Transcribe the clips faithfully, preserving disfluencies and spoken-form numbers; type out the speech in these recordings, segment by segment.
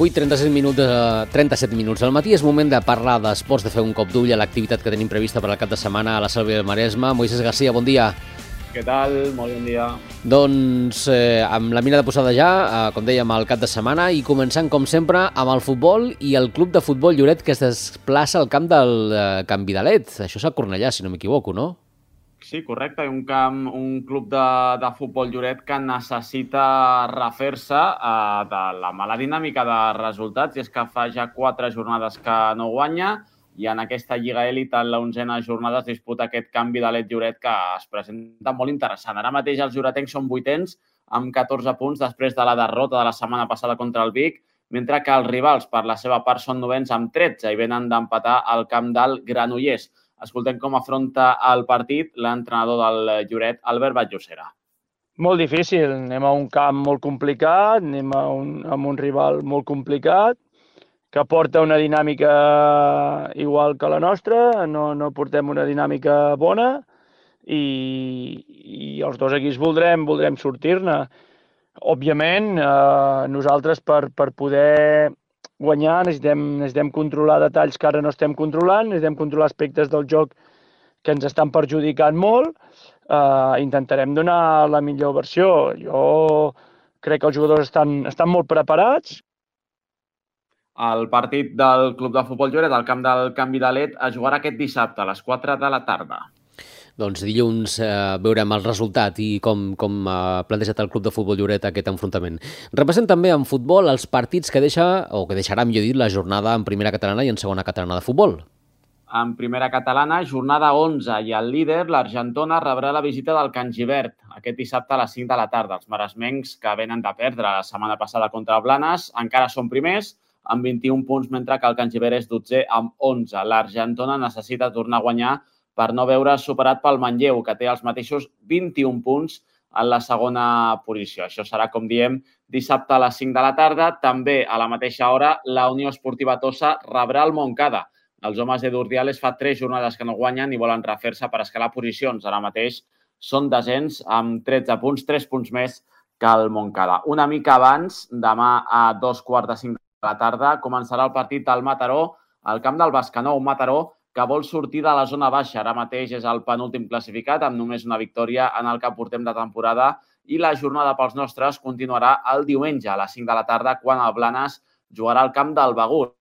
vuit, trenta-set minuts, eh, trenta-set minuts al matí. És moment de parlar d'esports, de fer un cop d'ull a l'activitat que tenim prevista per al cap de setmana a la Selva del Maresme. Moisés Garcia, bon dia. Què tal? Molt bon dia. Doncs eh, amb la mira de posada ja, eh, com dèiem, al cap de setmana, i començant, com sempre, amb el futbol i el club de futbol Lloret que es desplaça al camp del eh, Can Vidalet. Això és a Cornellà, si no m'equivoco, no? Sí, correcte. Un camp, un club de, de futbol Lloret que necessita refer-se eh, de la mala dinàmica de resultats, i és que fa ja quatre jornades que no guanya, i en aquesta Lliga Elit, en l'onzena jornada, es disputa aquest Can Vidalet Lloret que es presenta molt interessant. Ara mateix els lloretencs són vuitens amb catorze punts després de la derrota de la setmana passada contra el Vic, mentre que els rivals, per la seva part, són novens amb tretze i venen d'empatar al camp del Granollers. Escoltem com afronta el partit l'entrenador del Lloret, Albert Vall-Llosera. Molt difícil. Anem a un camp molt complicat, anem a un, a un rival molt complicat, que porta una dinàmica igual que la nostra, no, no portem una dinàmica bona i, i els dos equips voldrem, voldrem sortir-ne. Òbviament, eh, nosaltres per, per poder guanyar necessitem, necessitem controlar detalls que ara no estem controlant, necessitem controlar aspectes del joc que ens estan perjudicant molt. Eh, intentarem donar la millor versió. Jo crec que els jugadors estan, estan molt preparats. El partit del Club de Futbol Lloret al camp del Can Vidalet es jugarà aquest dissabte a les quatre de la tarda. Doncs dilluns eh, veurem el resultat i com, com ha plantejat el Club de Futbol Lloret aquest enfrontament. Repassem també en futbol els partits que deixa, o que deixarà, millor dit, la jornada en primera catalana i en segona catalana de futbol. En primera catalana, jornada onze, i el líder, l'Argentona, rebrà la visita del Can Gibert aquest dissabte a les cinc de la tarda. Els maresmencs, que venen de perdre la setmana passada contra el Blanes, encara són primers, amb vint-i-un punts, mentre que el Can Gibert és dotzè amb onze. L'Argentona necessita tornar a guanyar per no veure superat pel Manlleu, que té els mateixos vint-i-un punts en la segona posició. Això serà, com diem, dissabte a les cinc de la tarda. També a la mateixa hora, la Unió Esportiva Tossa rebrà el Montcada. Els homes de Durdiales fa tres jornades que no guanyen i volen refer-se per escalar posicions. Ara mateix són desens amb tretze punts, tres punts més que el Montcada. Una mica abans, demà a dos quarts de cinc de la tarda, començarà el partit del Mataró al camp del Bescanó, un Mataró que vol sortir de la zona baixa. Ara mateix és el penúltim classificat, amb només una victòria en el que portem de temporada, i la jornada pels nostres continuarà el diumenge a les cinc de la tarda, quan el Blanes jugarà al camp del Begur.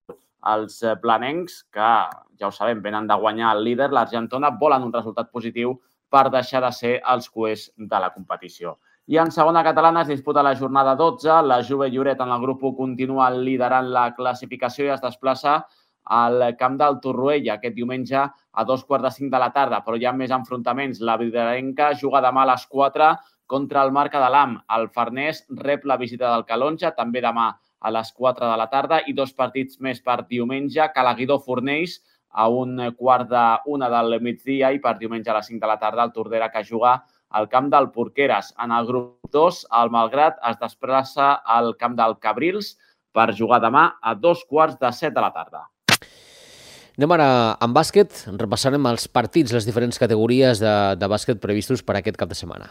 Els blanencs, que ja ho sabem, venen de guanyar el líder, l'Argentona, volen un resultat positiu per deixar de ser els cuers de la competició. I en segona catalana es disputa la jornada dotze. La Juve Lloret en el grup u continua liderant la classificació i es desplaça al camp del Torroella aquest diumenge a dos quarts de cinc de la tarda, però hi ha més enfrontaments. La Vidalenca juga demà a les quatre contra el Marca de l'Am. El Farners rep la visita del Calonja, també demà a les quatre de la tarda, i dos partits més per diumenge. Calaguidó Fornells a un quart d'una del migdia, i per diumenge a les cinc de la tarda el Tordera, que juga al camp del Porqueres. En el grup dos, el Malgrat es desplaça al camp del Cabrils per jugar demà a dos quarts de set de la tarda. Anem ara amb bàsquet. Repassarem els partits, les diferents categories de, de bàsquet previstos per aquest cap de setmana.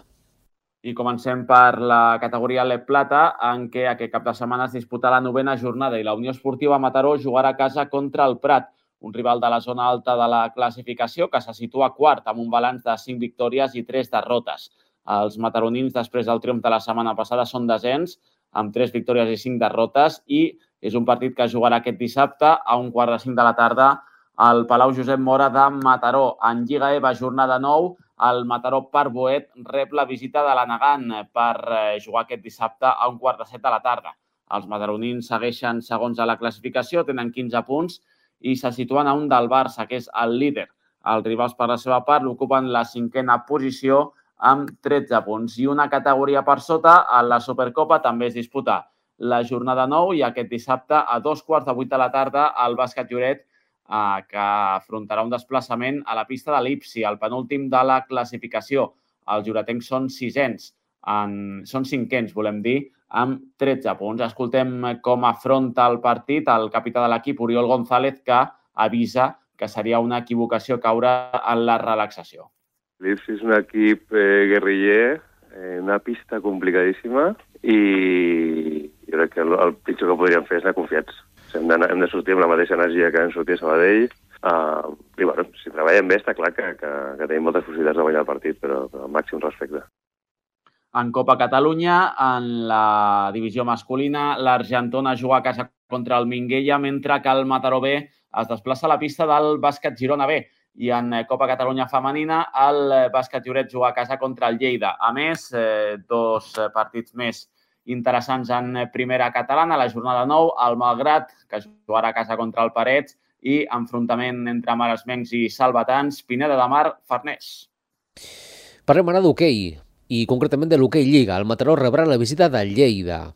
I comencem per la categoria L E P Plata, en què aquest cap de setmana es disputa la novena jornada i la Unió Esportiva Mataró jugarà a casa contra el Prat, un rival de la zona alta de la classificació que se situa quart amb un balanç de cinc victòries i tres derrotes. Els mataronins, després del triomf de la setmana passada, són desens amb tres victòries i cinc derrotes, i és un partit que jugarà aquest dissabte a un quart de cinc de la tarda al Palau Josep Mora de Mataró. En Lliga EVA, jornada nou, el Mataró Parboet rep la visita de l'Anagant per jugar aquest dissabte a un quart de set de la tarda. Els mataronins segueixen segons a la classificació, tenen quinze punts i se situen a un del Barça, que és el líder. Els rivals, per la seva part, l'ocupen la cinquena posició amb tretze punts. I una categoria per sota, a la Supercopa, també es disputa la jornada nou, i aquest dissabte a dos quarts de vuit de la tarda el Bàsquet Lloret, eh, que afrontarà un desplaçament a la pista de l'Ipsi, el penúltim de la classificació. Els lloretencs són sisens, en, són cinquens, volem dir, amb tretze punts. Escoltem com afronta el partit el capità de l'equip, Oriol González, que avisa que seria una equivocació caure en la relaxació. L'Ipsi és un equip eh, guerriller, eh, una pista complicadíssima, i jo crec que el, el pitjor que podríem fer és anar confiats. Hem de, hem de sortir amb la mateixa energia que hem sortit a Sabadell. Uh, I bueno, si treballem bé està clar que, que, que tenim moltes possibilitats de guanyar el partit, però, però al màxim respecte. En Copa Catalunya, en la divisió masculina, l'Argentona juga a casa contra el Minguella, mentre que el Mataró B es desplaça a la pista del Bàsquet Girona B. I en Copa Catalunya femenina, el Bàsquet Lloret juga a casa contra el Lleida. A més, eh, dos partits més interessants en primera catalana. La jornada nou, el Malgrat, que jugarà a casa contra el Parets, i enfrontament entre maresmencs i salvatans, Pineda de Mar, Farners. Parlem ara d'hoquei, i concretament de l'hoquei Lliga. El Mataró rebrà la visita del Lleida.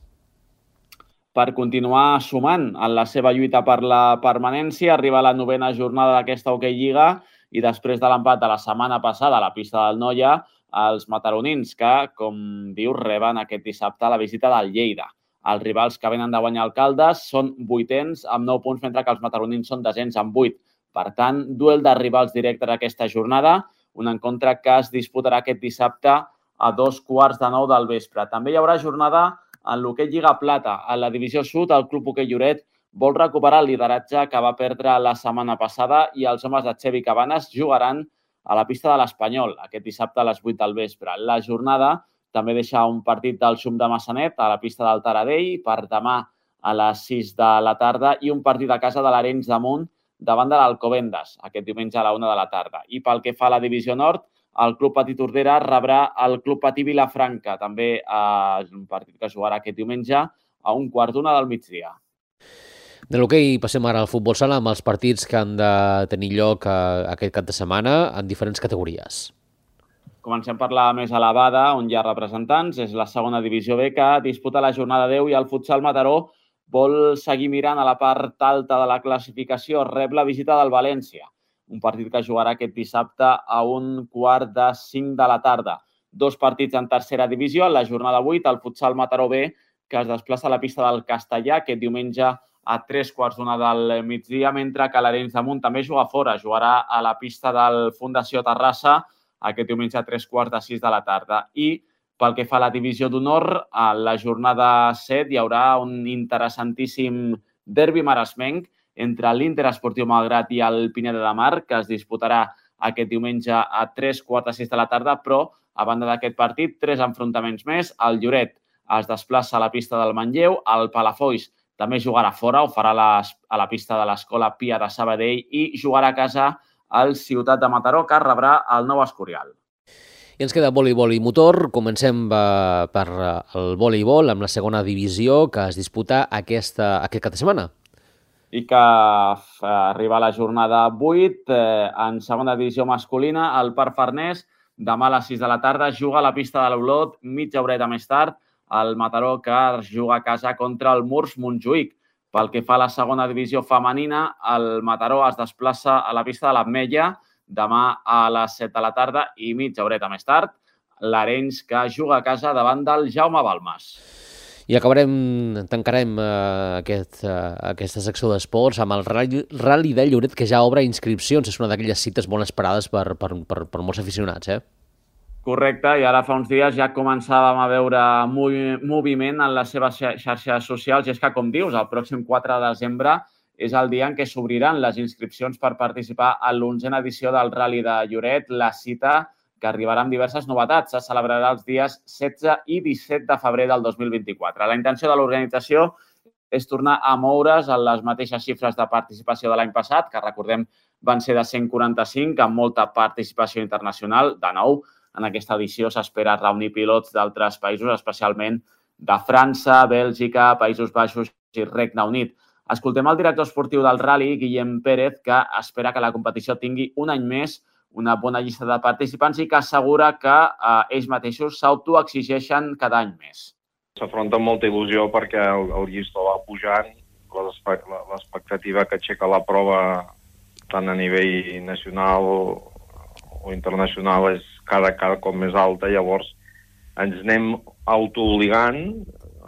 Per continuar sumant en la seva lluita per la permanència, arriba la novena jornada d'aquesta hoquei Lliga i després de l'empat de la setmana passada a la pista del Noia, els mataronins que, com dius, reben aquest dissabte la visita del Lleida. Els rivals que venen de guanyar el Caldes són vuitens amb nou punts, mentre que els mataronins són desens amb vuit. Per tant, duel de rivals directes aquesta jornada, un encontre que es disputarà aquest dissabte a dos quarts de nou del vespre. També hi haurà jornada en l'hoquei Lliga Plata. A la divisió sud, el Club Hoquei Lloret vol recuperar el lideratge que va perdre la setmana passada i els homes de Xevi Cabanes jugaran a la pista de l'Espanyol aquest dissabte a les vuit del vespre. La jornada també deixa un partit del Xum de Massanet a la pista del Taradell per demà a les sis de la tarda i un partit a casa de l'Arenys de Munt davant de l'Alcobendas aquest diumenge a la una de la tarda. I pel que fa a la divisió nord, el Club Patí Tordera rebrà el Club Patí Vilafranca, també és un partit que jugarà aquest diumenge a un quart d'una del migdia. De l'hoquei passem ara al futbol sala amb els partits que han de tenir lloc aquest cap de setmana en diferents categories. Comencem per la més elevada, on hi ha representants. És la segona divisió B que disputa la jornada deu i el futsal Mataró vol seguir mirant a la part alta de la classificació. Rep la visita del València, un partit que jugarà aquest dissabte a un quart de cinc de la tarda. Dos partits en tercera divisió. En la jornada vuit, el futsal Mataró B, que es desplaça a la pista del Castellà aquest diumenge a tres quarts d'una del migdia, mentre que l'Arenys de Munt també juga fora. Jugarà a la pista del Fundació Terrassa aquest diumenge a tres quarts de sis de la tarda. I pel que fa a la divisió d'honor, a la jornada set hi haurà un interessantíssim derbi maresmenc entre l'Inter Esportiu Malgrat i el Pineda de Mar, que es disputarà aquest diumenge a tres quarts de sis de la tarda, però a banda d'aquest partit, tres enfrontaments més. El Lloret es desplaça a la pista del Manlleu, el Palafolls també jugarà fora, ho farà a la pista de l'Escola Pia de Sabadell i jugarà a casa al Ciutat de Mataró, que rebrà el Nou Escorial. I ens queda voleibol i motor. Comencem per el voleibol amb la segona divisió que es disputa aquesta, aquest cap de setmana. I que arriba a la jornada vuit, eh, en segona divisió masculina, el Parc Farners, demà a les sis de la tarda, juga a la pista de l'Olot, mitja horeta més tard, el Mataró, que juga a casa contra el Murs Montjuïc. Pel que fa a la segona divisió femenina, el Mataró es desplaça a la pista de l'Ametlla demà a les set de la tarda i mitja horeta més tard, l'Arenys, que juga a casa davant del Jaume Balmes. I acabarem, tancarem uh, aquest, uh, aquesta secció d'esports amb el Rally de Lloret, que ja obre inscripcions. És una d'aquelles cites molt esperades per, per, per, per molts aficionats, eh? Correcte, i ara fa uns dies ja començàvem a veure moviment en les seves xarxes socials, i és que, com dius, el pròxim quatre de desembre és el dia en què s'obriran les inscripcions per participar a l'onzena edició del Rally de Lloret, la cita que arribarà amb diverses novetats. Se celebrarà els dies setze i disset de febrer del dos mil vint-i-quatre. La intenció de l'organització és tornar a moure's en les mateixes xifres de participació de l'any passat, que recordem van ser de cent quaranta-cinc, amb molta participació internacional. De nou, en aquesta edició s'espera reunir pilots d'altres països, especialment de França, Bèlgica, Països Baixos i Regne Unit. Escoltem el director esportiu del Rally, Guillem Pérez, que espera que la competició tingui un any més una bona llista de participants i que assegura que eh, ells mateixos s'autoexigeixen cada any més. S'afronta amb molta il·lusió perquè el, el llistó va pujant, l'expectativa que aixeca la prova tant a nivell nacional o internacional és cada, cada cop més alta, llavors ens anem autoobligant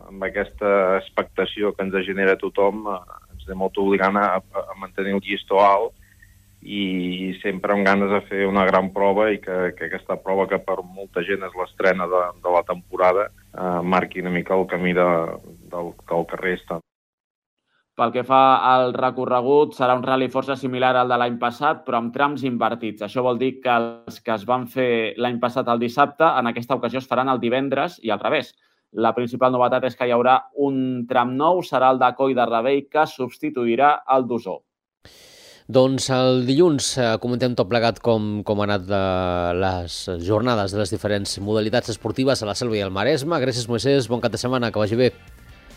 amb aquesta expectació que ens genera tothom, ens anem autoobligant a, a mantenir el llistó alt i sempre amb ganes de fer una gran prova i que, que aquesta prova, que per molta gent és l'estrena de, de la temporada, eh, marqui una mica el camí de, del que el carrer està. Pel que fa al recorregut, serà un rally força similar al de l'any passat, però amb trams invertits. Això vol dir que els que es van fer l'any passat el dissabte, en aquesta ocasió es faran el divendres i al revés. La principal novetat és que hi haurà un tram nou, serà el de Coll de Rebell, que substituirà el d'Osor. Doncs el dilluns comentem tot plegat com, com han anat de les jornades de les diferents modalitats esportives a la Selva i al Maresme. Gràcies, Moisès, bon cap de setmana, que vagi bé.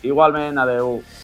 Igualment, adeu.